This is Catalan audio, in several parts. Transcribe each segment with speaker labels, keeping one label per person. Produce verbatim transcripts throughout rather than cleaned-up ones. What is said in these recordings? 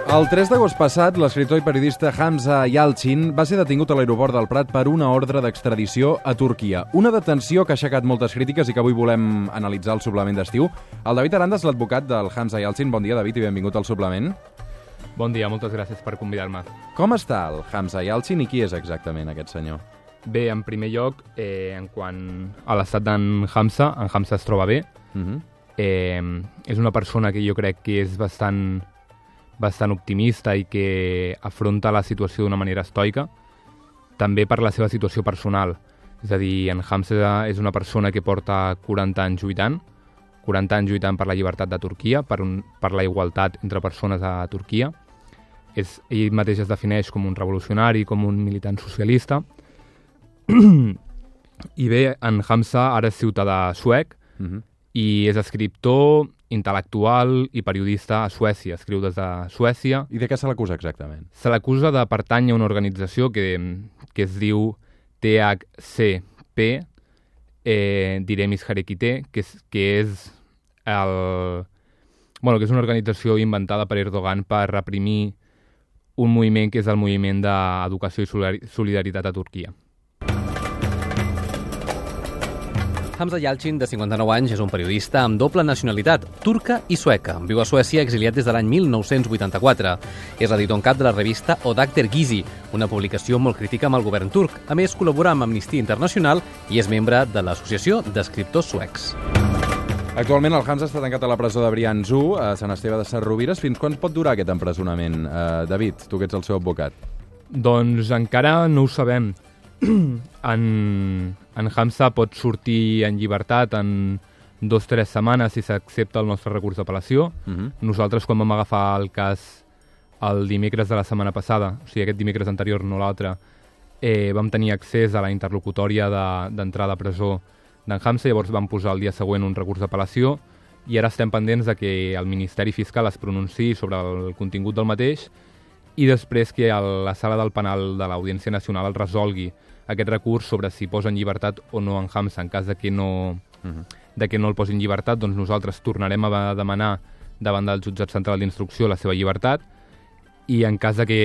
Speaker 1: El tres d'agost passat, l'escriptor i periodista Hamza Yalçin va ser detingut a l'aeroport del Prat per una ordre d'extradició a Turquia. Una detenció que ha aixecat moltes crítiques i que avui volem analitzar al suplement d'estiu. El David Arandas, l'advocat del Hamza Yalçin. Bon dia, David, i benvingut al suplement.
Speaker 2: Bon dia, moltes gràcies per convidar-me.
Speaker 1: Com està el Hamza Yalçin i qui és exactament aquest senyor?
Speaker 2: Bé, en primer lloc, eh, en quant a l'estat d'en Hamza, en Hamza es troba bé. Uh-huh. eh, és una persona que jo crec que és bastant... bastant optimista i que afronta la situació d'una manera estoica, també per la seva situació personal. És a dir, en Hamza és una persona que porta quaranta anys lluitant, quaranta anys lluitant per la llibertat de Turquia, per, un, per la igualtat entre persones a Turquia. És, ell mateix es defineix com un revolucionari, com un militant socialista. I bé, en Hamza ara és ciutadà suec, uh-huh. i és escriptor, intel·lectual i periodista a Suècia. Escriu des de Suècia.
Speaker 1: I de què se l'acusa exactament?
Speaker 2: Se l'acusa de pertànyer a una organització que, que es diu T H C P, eh, Diremis Hareketi, que és, que és el... Bueno, que és una organització inventada per Erdogan per reprimir un moviment que és el moviment d'educació i solidaritat a Turquia.
Speaker 3: Hamza Yalçin, de cinquanta-nou anys, és un periodista amb doble nacionalitat, turca i sueca. Viu a Suècia, exiliat des de l'any mil nou-cents vuitanta-quatre. És editor en cap de la revista Odakter Gizi, una publicació molt crítica amb el govern turc. A més, col·labora amb Amnistia Internacional i és membre de l'Associació d'Escriptors Suecs.
Speaker 1: Actualment el Hamza està tancat a la presó de Briançu, a Sant Esteve de Sesrovires. Fins quan pot durar aquest empresonament? Uh, David, tu que ets el seu advocat.
Speaker 2: Doncs encara no ho sabem. En, en Hamza pot sortir en llibertat en dos o tres setmanes si s'accepta el nostre recurs d'apel·lació. Uh-huh. Nosaltres, quan vam agafar el cas el dimecres de la setmana passada, o sigui, aquest dimecres anterior, no l'altre, eh, vam tenir accés a la interlocutòria d'entrada de, a presó d'en Hamza, llavors vam posar el dia següent un recurs d'apel·lació i ara estem pendents de que el Ministeri Fiscal es pronunciï sobre el contingut del mateix i després que la sala del penal de l'Audiència Nacional el resolgui aquest recurs sobre si posa en llibertat o no en Hamza. En cas de que no, uh-huh. de que no el posi en llibertat, doncs nosaltres tornarem a demanar davant del jutjat central d'instrucció la seva llibertat i en cas de que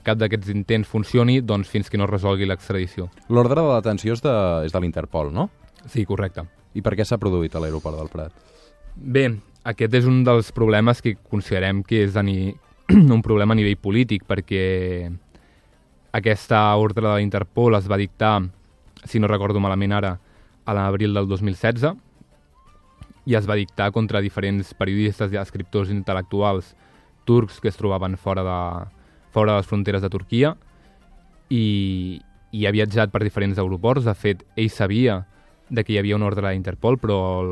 Speaker 2: cap d'aquests intents funcioni, doncs fins que no resolgui l'extradició.
Speaker 1: L'ordre de detenció és de, és de l'Interpol, no?
Speaker 2: Sí, correcte.
Speaker 1: I per què s'ha produït a l'aeroport del Prat?
Speaker 2: Bé, aquest és un dels problemes que considerem que és ni... un problema a nivell polític, perquè aquesta ordre de l'Interpol es va dictar, si no recordo malament ara, a l'abril del dos mil setze i es va dictar contra diferents periodistes i escriptors intel·lectuals turcs que es trobaven fora de, fora de les fronteres de Turquia i, i ha viatjat per diferents aeroports. De fet, ell sabia de que hi havia una ordre de l'Interpol, però el,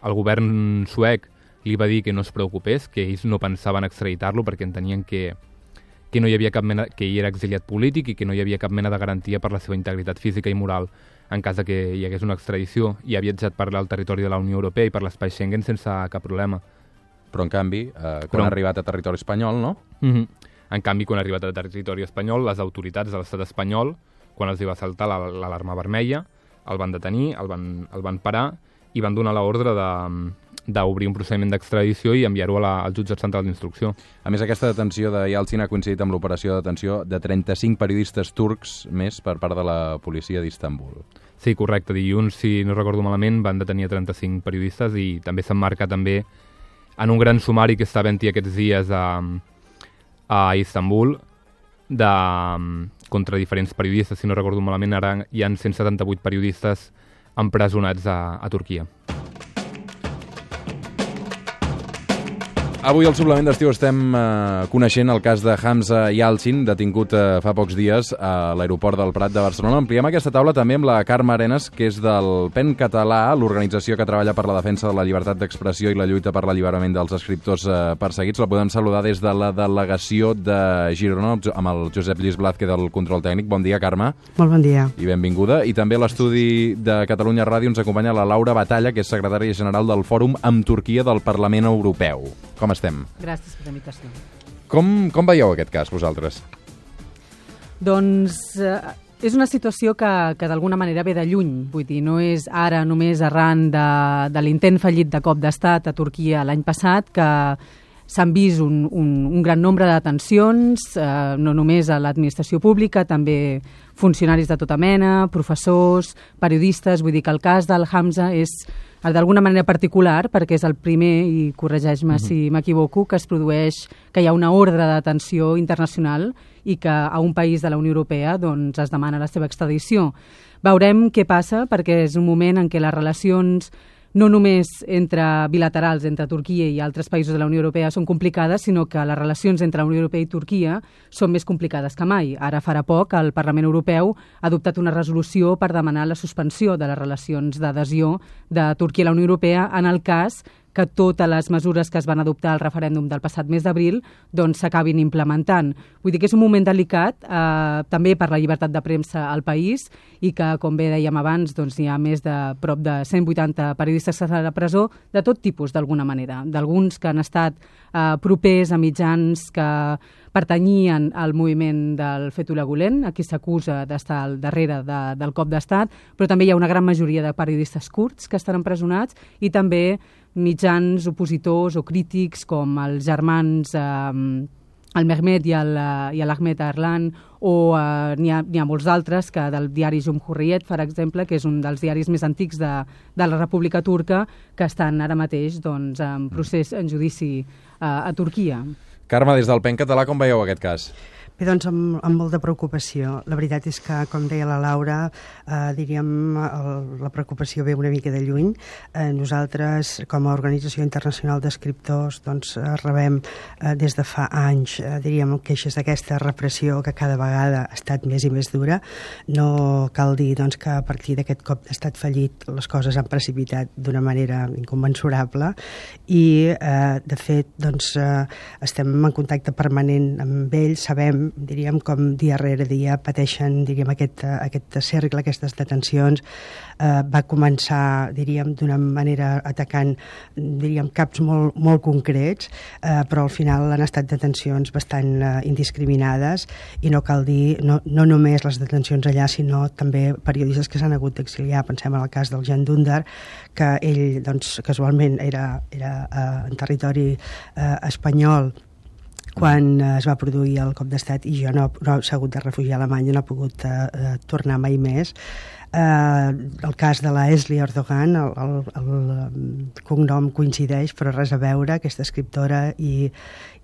Speaker 2: el govern suec li va dir que no es preocupés, que ells no pensaven extraditar-lo perquè entenien que que no hi havia cap mena, que ell era exiliat polític i que no hi havia cap mena de garantia per la seva integritat física i moral en cas de que hi hagués una extradició, i ha viatjat per el territori de la Unió Europea i per l'espai Schengen sense cap problema.
Speaker 1: Però en canvi, eh, quan Però... ha arribat a territori espanyol, no?
Speaker 2: Mm-hmm. En canvi, quan ha arribat a territori espanyol, les autoritats de l'estat espanyol, quan els hi va saltar l'alarma vermella, el van detenir, el van, el van parar i van donar l'ordre de d'obrir un procediment d'extradició i enviar-ho al jutjat central d'instrucció.
Speaker 1: A més, aquesta detenció de Yalçin ha coincidit amb l'operació de detenció de trenta-cinc periodistes turcs més per part de la policia d'Istanbul.
Speaker 2: Sí, correcte. Dilluns, si no recordo malament, van detenir trenta-cinc periodistes i també s'emmarca també en un gran sumari que està havent-hi aquests dies a, a Istanbul de, contra diferents periodistes. Si no recordo malament, ara hi ha cent setanta-vuit periodistes empresonats a, a Turquia.
Speaker 1: Avui al suplement d'estiu estem eh, coneixent el cas de Hamza Yalçin, detingut eh, fa pocs dies a l'aeroport del Prat de Barcelona. Ampliem aquesta taula també amb la Carme Arenas, que és del PEN Català, l'organització que treballa per la defensa de la llibertat d'expressió i la lluita per l'alliberament dels escriptors eh, perseguits. La podem saludar des de la delegació de Girona amb el Josep Lluís Blázquez del control tècnic. Bon dia, Carme.
Speaker 4: Molt bon dia.
Speaker 1: I benvinguda. I també a l'estudi de Catalunya Ràdio ens acompanya la Laura Batalla, que és secretària general del Fòrum amb Turquia del Parlament Europeu. Com estem?
Speaker 4: Gràcies per la invitació.
Speaker 1: Com, com veieu aquest cas, vosaltres?
Speaker 4: Doncs eh, és una situació que, que d'alguna manera ve de lluny. Vull dir, no és ara només arran de, de l'intent fallit de cop d'estat a Turquia l'any passat que s'han vist un, un, un gran nombre de detencions, eh, no només a l'administració pública, també funcionaris de tota mena, professors, periodistes. Vull dir que el cas del Hamza és d'alguna manera particular perquè és el primer, i corregeix-me uh-huh. si m'equivoco, que es produeix, que hi ha una ordre de detenció internacional i que a un país de la Unió Europea doncs, es demana la seva extradició. Veurem què passa, perquè és un moment en què les relacions no només entre bilaterals, entre Turquia i altres països de la Unió Europea són complicades, sinó que les relacions entre la Unió Europea i Turquia són més complicades que mai. Ara farà poc el Parlament Europeu ha adoptat una resolució per demanar la suspensió de les relacions d'adhesió de Turquia a la Unió Europea en el cas que totes les mesures que es van adoptar al referèndum del passat mes d'abril doncs s'acabin implementant. Vull dir que és un moment delicat, eh, també per la llibertat de premsa al país, i que, com bé dèiem abans, doncs hi ha més de prop de cent vuitanta periodistes que estan a la presó, de tot tipus, d'alguna manera. D'alguns que han estat eh, propers a mitjans que pertanyien al moviment del Fethullah Gülen, a qui s'acusa d'estar al darrere de, del cop d'estat, però també hi ha una gran majoria de periodistes kurds que estan empresonats, i també mitjans opositors o crítics com els germans eh, el Mehmet i l'Ahmet Arlan, o eh, n'hi ha, ha molts altres, que del diari Cumhuriyet, per exemple, que és un dels diaris més antics de, de la República Turca, que estan ara mateix doncs, en procés, en judici eh, a Turquia.
Speaker 1: Carme, des del Pen Català, com veieu aquest cas?
Speaker 5: Bé, doncs amb, amb molta preocupació. La veritat és que, com deia la Laura, eh, diríem, el, la preocupació ve una mica de lluny. Eh, nosaltres, com a Organització Internacional d'Escriptors, doncs, eh, rebem eh, des de fa anys, eh, diríem, queixes d'aquesta repressió que cada vegada ha estat més i més dura. No cal dir doncs, que a partir d'aquest cop d'estat fallit les coses han precipitat d'una manera inconmensurable i, eh, de fet, doncs, eh, estem en contacte permanent amb ells, sabem diríem, com dia rere dia pateixen, diríem, aquest, aquest cercle, aquestes detencions. Eh, va començar, diríem, d'una manera atacant, diríem, caps molt, molt concrets, eh, però al final han estat detencions bastant eh, indiscriminades, i no cal dir, no, no només les detencions allà, sinó també periodistes que s'han hagut d'exiliar. Pensem en el cas del Jan Dündar, que ell, doncs, casualment era, era eh, en territori eh, espanyol quan eh, es va produir el cop d'estat, i jo no, no s'ha hagut de refugiar a Alemanya, no ha pogut eh, tornar mai més. Eh, el cas de la Esli Erdogan, el, el, el cognom coincideix, però res a veure, aquesta escriptora i,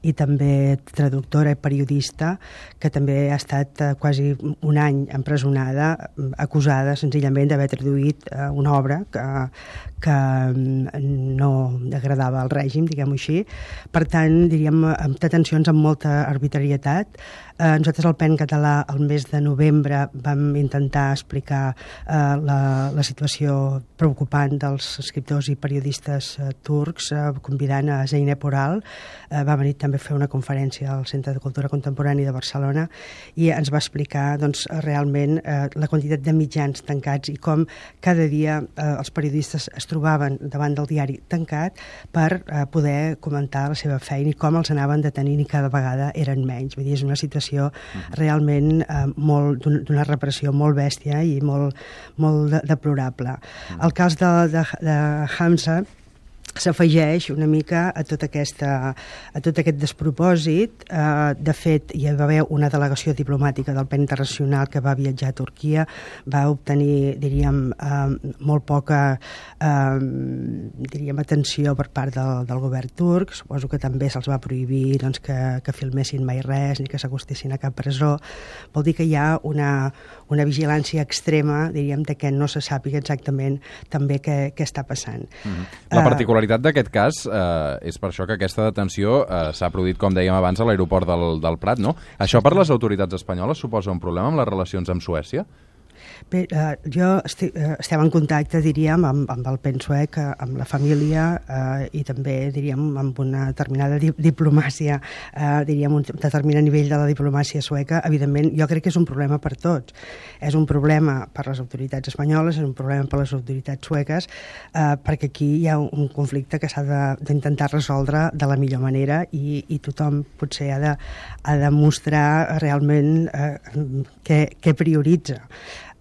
Speaker 5: i també traductora i periodista, que també ha estat eh, quasi un any empresonada, acusada senzillament d'haver traduït eh, una obra que, que no agradava al règim, diguem-ho així. Per tant, diríem, amb detencions amb molta arbitrarietat. Eh, nosaltres al Pen Català, el mes de novembre, vam intentar explicar eh, la, la situació preocupant dels escriptors i periodistes eh, turcs, eh, convidant a Zeynep Oral. Eh, va venir també a fer una conferència al Centre de Cultura Contemporània de Barcelona, i ens va explicar doncs, realment eh, la quantitat de mitjans tancats i com cada dia eh, els periodistes es trobaven davant del diari tancat per eh, poder comentar la seva feina, i com els anaven detenint i cada vegada eren menys. Vull dir, és una situació realment eh, molt, d'una repressió molt bèstia i molt, molt de, deplorable. El cas de, de, de Hamza s'afegeix una mica a tot, aquesta, a tot aquest despropòsit. Eh, de fet, hi va haver una delegació diplomàtica del Pen Internacional que va viatjar a Turquia, va obtenir, diríem, eh, molt poca eh, diríem, atenció per part del, del govern turc. Suposo que també se'ls va prohibir doncs, que, que filmessin mai res, ni que s'acostessin a cap presó. Vol dir que hi ha una, una vigilància extrema, diríem, de que no se sàpiga exactament també què, què està passant.
Speaker 1: Mm-hmm. La particularitat d'aquest cas eh, és per això que aquesta detenció eh, s'ha produït, com dèiem abans, a l'aeroport del, del Prat, no? Això per les autoritats espanyoles suposa un problema amb les relacions amb Suècia?
Speaker 5: Bé, eh, jo estic, eh, estem en contacte, diríem, amb, amb el Pen suec, amb la família, eh, i també, diríem, amb una determinada di diplomàcia, eh, diríem, un determinat nivell de la diplomàcia sueca. Evidentment, jo crec que és un problema per tots. És un problema per les autoritats espanyoles, és un problema per les autoritats sueques, eh, perquè aquí hi ha un conflicte que s'ha d'intentar resoldre de la millor manera, i, i tothom potser ha de, ha de mostrar realment eh, què, què prioritza.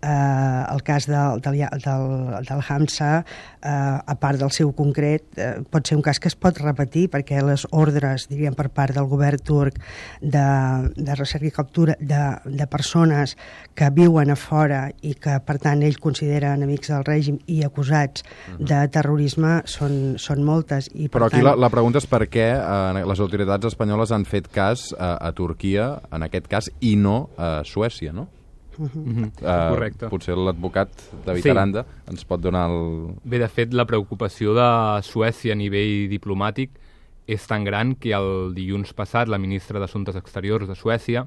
Speaker 5: Eh, el cas del, del, del, del Hamza, eh, a part del seu concret, eh, pot ser un cas que es pot repetir, perquè les ordres, diríem, per part del govern turc de, de recerca i captura de, de persones que viuen a fora i que, per tant, ells consideren amics del règim i acusats de terrorisme són, són moltes. I, per
Speaker 1: Però aquí
Speaker 5: tant...
Speaker 1: la, la pregunta és per què eh, les autoritats espanyoles han fet cas a, a Turquia, en aquest cas, i no a Suècia, no?
Speaker 2: Mm-hmm.
Speaker 1: Uh,
Speaker 2: Correcte.
Speaker 1: Potser l'advocat David sí. Aranda ens pot donar el...
Speaker 2: Bé, de fet, la preocupació de Suècia a nivell diplomàtic és tan gran que el dilluns passat la ministra d'Assumptes Exteriors de Suècia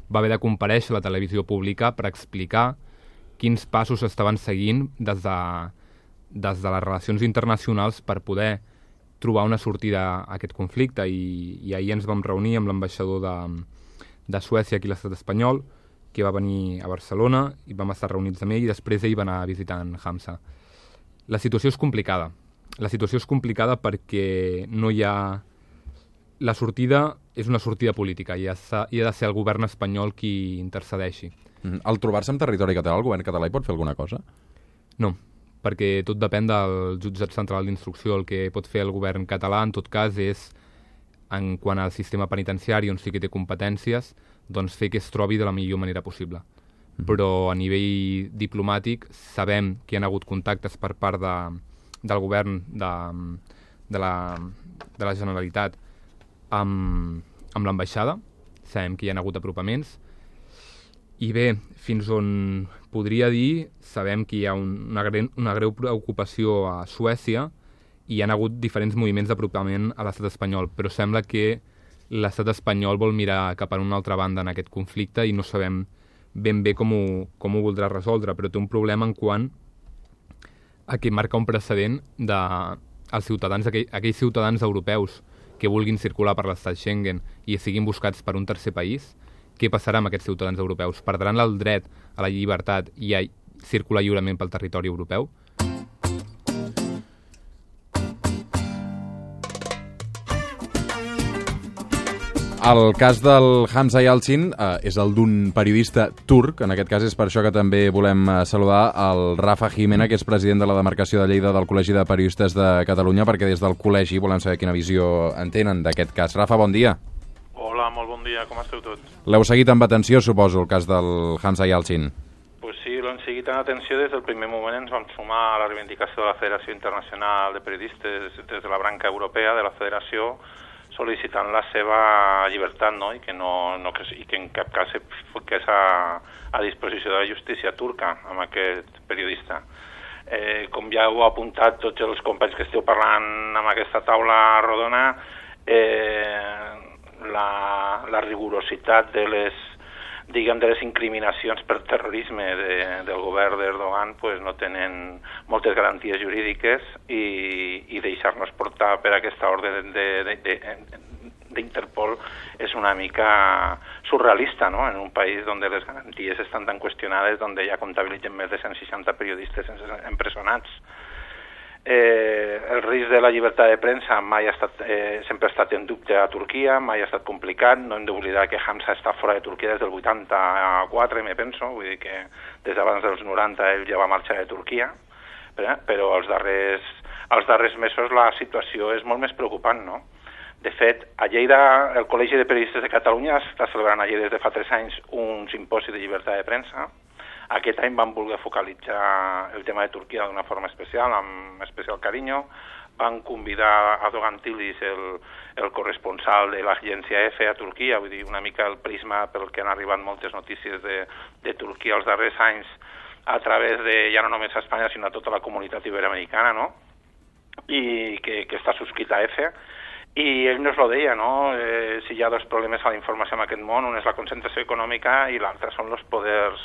Speaker 2: va haver de comparèixer a la televisió pública per explicar quins passos estaven seguint des de, des de les relacions internacionals per poder trobar una sortida a aquest conflicte. I, i ahir ens vam reunir amb l'ambaixador de, de Suècia aquí a l'estat espanyol, que va venir a Barcelona i vam estar reunits amb ell i després ell va anar visitant Hamza. La situació és complicada. La situació és complicada perquè no hi ha... La sortida és una sortida política i ha, i ha de ser el govern espanyol qui intercedeixi.
Speaker 1: Mm. Al trobar-se en territori català, el govern català hi pot fer alguna cosa?
Speaker 2: No, perquè tot depèn del jutjat central d'instrucció. El que pot fer el govern català, en tot cas, és, en quant al sistema penitenciari, on sí que té competències, doncs fer que es trobi de la millor manera possible. Mm. Però a nivell diplomàtic sabem que hi ha hagut contactes per part de, del govern de, de, la, de la Generalitat amb, amb l'ambaixada, sabem que hi ha hagut apropaments, i bé, fins on podria dir, sabem que hi ha un, una, greu, una greu preocupació a Suècia i hi ha hagut diferents moviments d'apropament a l'estat espanyol, però sembla que l'estat espanyol vol mirar cap a una altra banda en aquest conflicte i no sabem ben bé com ho, com ho voldrà resoldre, però té un problema en quant a que marca un precedent de als ciutadans, aquell, aquells ciutadans europeus que vulguin circular per l'estat Schengen i siguin buscats per un tercer país. Què passarà amb aquests ciutadans europeus? Perdran el dret a la llibertat i a circular lliurement pel territori europeu?
Speaker 1: El cas del Hamza Yalçin eh, és el d'un periodista turc, en aquest cas és per això que també volem eh, saludar el Rafa Jimena, que és president de la demarcació de Lleida del Col·legi de Periodistes de Catalunya, perquè des del col·legi volem saber quina visió en tenen d'aquest cas. Rafa, bon dia.
Speaker 6: Hola, molt bon dia, com esteu tots?
Speaker 1: L'heu seguit amb atenció, suposo, el cas del Hamza Yalçin?
Speaker 6: Pues sí, l'hem seguit amb atenció des del primer moment. Ens vam sumar a la reivindicació de la Federació Internacional de Periodistes des de la branca europea de la Federació, sol·licitant la seva llibertat, no? I que, no, no, que, i que en cap cas fiqués a, a disposició de la justícia turca amb aquest periodista. Eh, com ja heu apuntat tots els companys que esteu parlant amb aquesta taula rodona, eh, la, la rigorositat de les, diguem, de les incriminacions per terrorisme de, del govern d'Erdogan pues, no tenen moltes garanties jurídiques i, i deixar-nos portar per aquesta ordre d'Interpol és una mica surrealista, no? En un país on les garanties estan tan qüestionades, on ja comptabilitzen més de cent seixanta periodistes empresonats. Eh, el risc de la llibertat de premsa mai ha estat, eh, sempre ha estat en dubte a Turquia, mai ha estat complicat. No hem d'oblidar que Hamza està fora de Turquia des del vuitanta-quatre, me penso, vull dir que des d'abans dels noranta ell ja va marxar de Turquia, però, però als darrers, als darrers mesos la situació és molt més preocupant, no? De fet, a Lleida, el Col·legi de Periodistes de Catalunya està celebrant a Lleida des de fa tres anys un simposi de llibertat de premsa. Aquest any van voler focalitzar el tema de Turquia d'una forma especial, amb especial carinyo. Van convidar a Dogan Tilis, el, el corresponsal de l'agència EFE a Turquia, vull dir, una mica el prisma pel que han arribat moltes notícies de, de Turquia els darrers anys a través de, ja no només a Espanya, sinó a tota la comunitat iberoamericana, no? I que, que està subscrit a EFE. I ell nos lo deia, no? Eh, si hi ha dos problemes a la informació en aquest món, un és la concentració econòmica i l'altre són els poders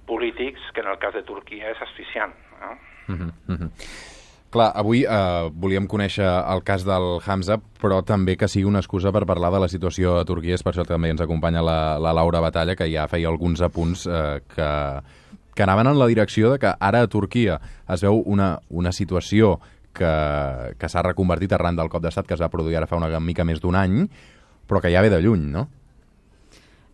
Speaker 6: polítics, que en el cas de Turquia és asfixiant. No?
Speaker 1: Mm-hmm, mm-hmm. Clar, avui eh, volíem conèixer el cas del Hamza, però també que sigui una excusa per parlar de la situació a Turquia. És per això que també ens acompanya la, la Laura Batalla, que ja feia alguns apunts eh, que, que anaven en la direcció de que ara a Turquia es veu una, una situació que, que s'ha reconvertit arran del cop d'estat que es va produir ara fa una mica més d'un any, però que ja ve de lluny, no?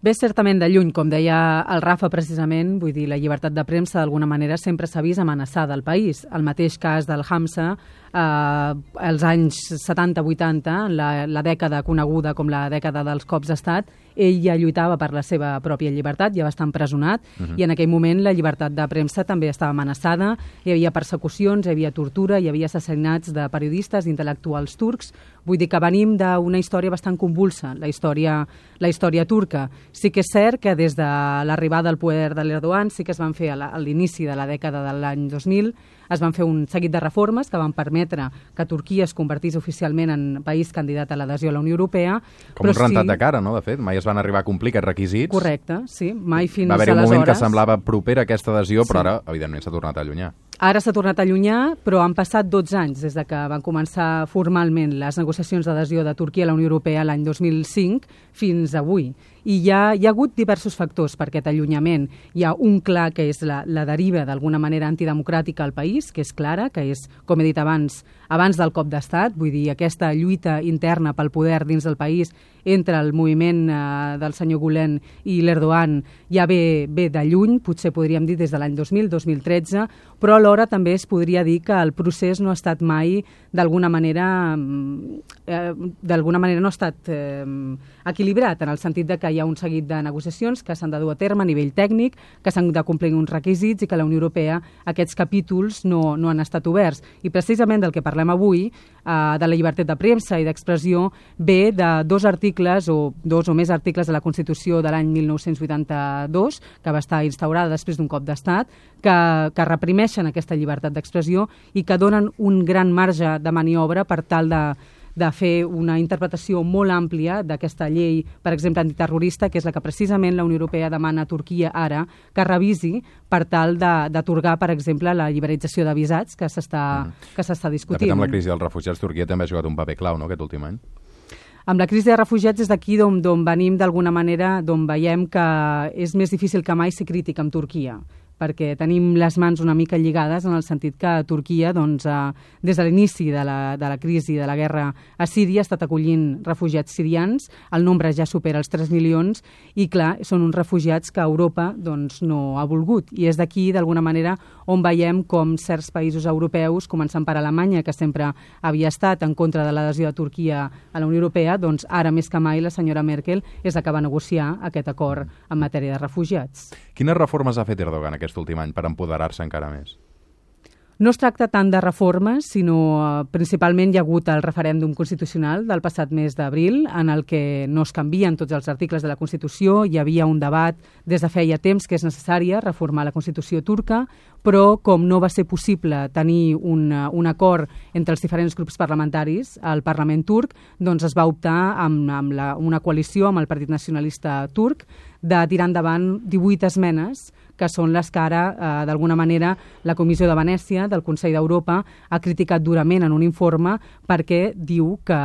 Speaker 4: Ve certament de lluny, com deia el Rafa precisament, vull dir, la llibertat de premsa d'alguna manera sempre s'ha vist amenaçada al país. El mateix cas del Hamza, eh, als anys setanta vuitanta, la, la dècada coneguda com la dècada dels cops d'estat, ell ja lluitava per la seva pròpia llibertat, ja va estar empresonat, uh-huh. i en aquell moment la llibertat de premsa també estava amenaçada, hi havia persecucions, hi havia tortura, hi havia assassinats de periodistes, d'intel·lectuals turcs. Vull dir que venim d'una història bastant convulsa, la història, la història turca. Sí que és cert que des de l'arribada al poder de l'Erdogan sí que es van fer a l'inici de la dècada de l'any dos mil, es van fer un seguit de reformes que van permetre que Turquia es convertís oficialment en país candidat a l'adhesió a la Unió Europea.
Speaker 1: Com un rentat sí... de cara, no? De fet, mai es van arribar a complir aquests requisits.
Speaker 4: Correcte, sí. Mai fins
Speaker 1: aleshores. Va haver un
Speaker 4: aleshores...
Speaker 1: moment que semblava propera aquesta adhesió, però
Speaker 4: sí.
Speaker 1: ara, evidentment, s'ha tornat a allunyar.
Speaker 4: Ara s'ha tornat a allunyar, però han passat dotze anys des de que van començar formalment les negociacions d'adhesió de Turquia a la Unió Europea l'any dos mil cinc fins avui. I hi ha, hi ha hagut diversos factors per aquest allunyament. Hi ha un clar, que és la, la deriva d'alguna manera antidemocràtica al país, que és clara, que és, com he dit abans, abans del cop d'estat, vull dir, aquesta lluita interna pel poder dins del país entre el moviment eh, del senyor Gülen i l'Erdogan ja ve, ve de lluny, potser podríem dir des de l'any dos mil, dos mil tretze, però alhora també es podria dir que el procés no ha estat mai d'alguna manera eh, d'alguna manera no ha estat eh, equilibrat, en el sentit de que hi ha un seguit de negociacions que s'han de dur a terme a nivell tècnic, que s'han de complir uns requisits i que la Unió Europea aquests capítols no, no han estat oberts. I precisament del que parlem avui, eh, de la llibertat de premsa i d'expressió, ve de dos articles o dos o més articles de la Constitució de l'any mil nou-cents vuitanta-dos, que va estar instaurada després d'un cop d'estat, que, que reprimeixen aquesta llibertat d'expressió i que donen un gran marge de maniobra per tal de de fer una interpretació molt àmplia d'aquesta llei, per exemple, antiterrorista, que és la que precisament la Unió Europea demana a Turquia ara que revisi per tal d'atorgar, per exemple, la liberalització de visats que s'està mm. que s'està discutint.
Speaker 1: De fet, amb la crisi dels refugiats, Turquia també ha jugat un paper clau, no?, aquest últim any.
Speaker 4: Amb la crisi de refugiats és d'aquí d'on venim d'alguna manera, d'on veiem que és més difícil que mai ser crític amb Turquia, perquè tenim les mans una mica lligades en el sentit que Turquia, doncs, eh, des de l'inici de, la, de la crisi de la guerra a Síria, ha estat acollint refugiats sirians, el nombre ja supera els tres milions, i clar, són uns refugiats que Europa doncs, no ha volgut. I és d'aquí, d'alguna manera, on veiem com certs països europeus, començant per Alemanya, que sempre havia estat en contra de l'adhesió de Turquia a la Unió Europea, doncs ara més que mai la senyora Merkel és la que va negociar aquest acord en matèria de refugiats.
Speaker 1: Quines reformes ha fet Erdogan aquest últim any per empoderar-se encara més?
Speaker 4: No es tracta tant de reformes, sinó eh, principalment hi ha hagut el referèndum constitucional del passat mes d'abril, en el que no es canvien tots els articles de la Constitució. Hi havia un debat des de feia temps que és necessària reformar la Constitució turca, però com no va ser possible tenir un, un acord entre els diferents grups parlamentaris al Parlament turc, doncs es va optar amb, amb la, una coalició amb el Partit Nacionalista turc de tirar endavant divuit esmenes, que són les que ara, eh, d'alguna manera, la Comissió de Venècia del Consell d'Europa ha criticat durament en un informe perquè diu que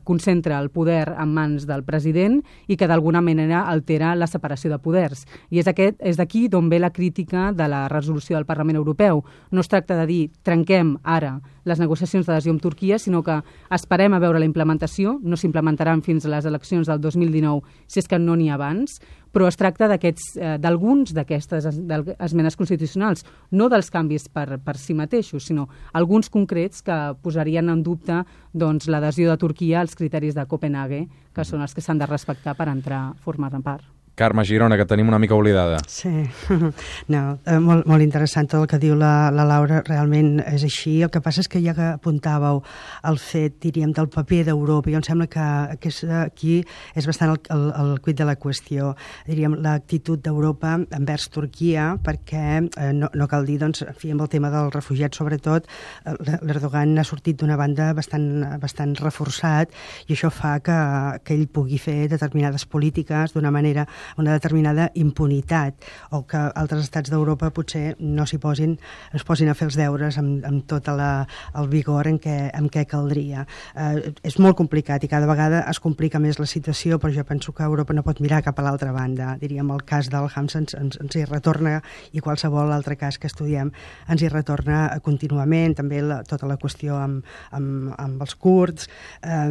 Speaker 4: concentra el poder en mans del president i que d'alguna manera altera la separació de poders. I és, aquest, és d'aquí d'on ve la crítica de la resolució del Parlament Europeu. No es tracta de dir trenquem ara les negociacions d'adhesió amb Turquia, sinó que esperem a veure la implementació, no s'implementaran fins a les eleccions del dos mil dinou, si és que no n'hi ha abans, però es tracta d'aquests, eh, d'alguns d'aquestes esmenes constitucionals, no dels canvis per, per si mateixos, sinó alguns concrets que posarien en dubte doncs, l'adhesió de Turquia als criteris de Copenhague, que són els que s'han de respectar per entrar a formar-ne part.
Speaker 1: Carme Girona, que tenim una mica oblidada.
Speaker 5: Sí, no, eh, molt, molt interessant tot el que diu la, la Laura, realment és així. El que passa és que ja que apuntàveu el fet, diríem, del paper d'Europa, jo em sembla que, que és, aquí és bastant el, el, el quid de la qüestió. Diríem, l'actitud d'Europa envers Turquia, perquè eh, no, no cal dir, doncs, en fi, amb el tema dels refugiats, sobretot, l'Erdogan ha sortit d'una banda bastant, bastant reforçat i això fa que, que ell pugui fer determinades polítiques d'una manera una determinada impunitat, o que altres estats d'Europa potser no s'hi posin, es posin a fer els deures amb, amb tot la, el vigor en què, en què caldria. Eh, és molt complicat i cada vegada es complica més la situació, però jo penso que Europa no pot mirar cap a l'altra banda. Diríem, el cas del Hamza ens, ens, ens hi retorna, i qualsevol altre cas que estudiem ens hi retorna contínuament, també la, tota la qüestió amb, amb, amb els kurds. Eh,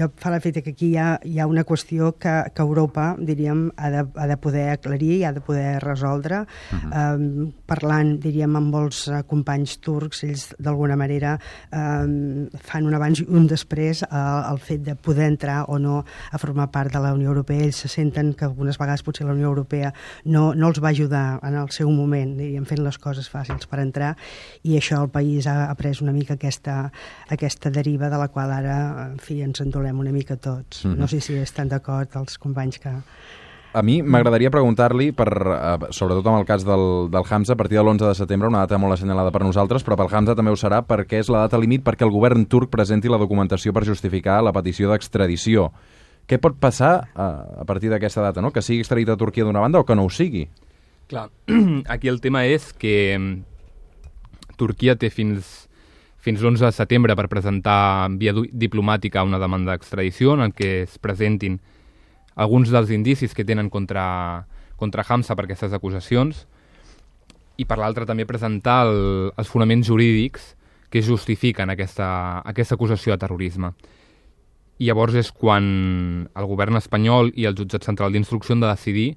Speaker 5: jo fa l'efecte que aquí hi ha, hi ha una qüestió que, que Europa, diríem, ha de, ha de poder aclarir i ha de poder resoldre. Uh-huh. eh, parlant, diríem, amb molts eh, companys turcs, ells d'alguna manera eh, fan un abans i un després eh, el fet de poder entrar o no a formar part de la Unió Europea. Ells se senten que algunes vegades potser la Unió Europea no, no els va ajudar en el seu moment, diríem, fent les coses fàcils per entrar, i això el país ha, ha pres una mica aquesta, aquesta deriva de la qual ara, en fi, ens endolem una mica tots. Mm-hmm. No sé si estan d'acord els companys que...
Speaker 1: A mi m'agradaria preguntar-li, per, eh, sobretot amb el cas del, del Hamza, a partir de l'onze de setembre, una data molt assenyalada per nosaltres, però pel Hamza també ho serà perquè és la data límit perquè el govern turc presenti la documentació per justificar la petició d'extradició. Què pot passar eh, a partir d'aquesta data, no? Que sigui extraditat a Turquia d'una banda o que no ho sigui?
Speaker 2: Clar, aquí el tema és que Turquia té fins... fins l'onze de setembre per presentar via diplomàtica una demanda d'extradició en què es presentin alguns dels indicis que tenen contra, contra Hamza per aquestes acusacions i per l'altra també presentar el, els fonaments jurídics que justifiquen aquesta, aquesta acusació de terrorisme. I llavors és quan el govern espanyol i el jutjat central d'instrucció han de decidir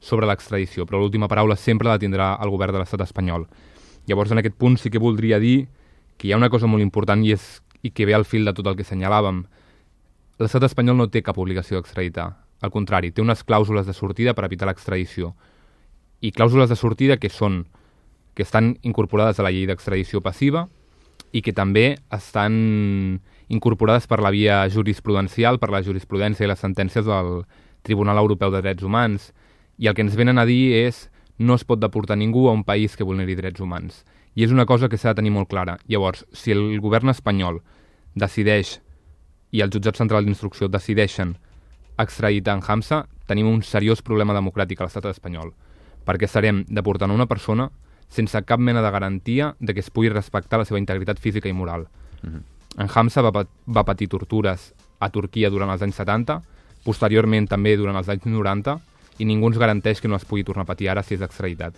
Speaker 2: sobre l'extradició, però l'última paraula sempre la tindrà el govern de l'estat espanyol. Llavors en aquest punt sí que voldria dir que hi ha una cosa molt important i, és, i que ve al fil de tot el que assenyalàvem. L'estat espanyol no té cap obligació d'extraditar. Al contrari, té unes clàusules de sortida per evitar l'extradició. I clàusules de sortida que són que estan incorporades a la llei d'extradició passiva i que també estan incorporades per la via jurisprudencial, per la jurisprudència i les sentències del Tribunal Europeu de Drets Humans. I el que ens venen a dir és no es pot deportar ningú a un país que vulneri drets humans. I és una cosa que s'ha de tenir molt clara. Llavors, si el govern espanyol decideix i el jutjat central d'instrucció decideixen extraditar en Hamza, tenim un seriós problema democràtic a l'estat espanyol, perquè estarem deportant una persona sense cap mena de garantia de que es pugui respectar la seva integritat física i moral. Uh-huh. En Hamza va, va patir tortures a Turquia durant els anys setanta, posteriorment també durant els anys noranta, i ningú ens garanteix que no es pugui tornar a patir ara si és extraditat.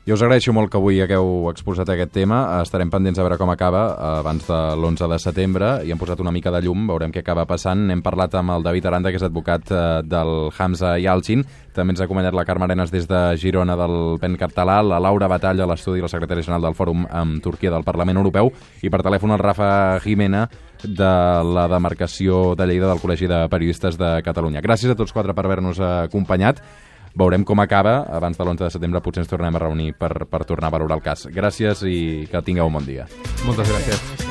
Speaker 1: Jo us agraeixo molt que avui hagueu exposat aquest tema. Estarem pendents a veure com acaba abans de l'onze de setembre i hem posat una mica de llum, veurem què acaba passant. Hem parlat amb el David Aranda, que és advocat del Hamza Yalcin. També ens ha acompanyat la Carme Arenas des de Girona del Pen Català, la Laura Batalla, l'estudi i la secretària general del Fòrum amb Turquia del Parlament Europeu, i per telèfon el Rafa Jimena de la demarcació de Lleida del Col·legi de Periodistes de Catalunya. Gràcies a tots quatre per haver-nos acompanyat. Veurem com acaba. Abans de l'onze de setembre potser ens tornem a reunir per, per tornar a valorar el cas. Gràcies i que tingueu un bon dia.
Speaker 2: Moltes gràcies.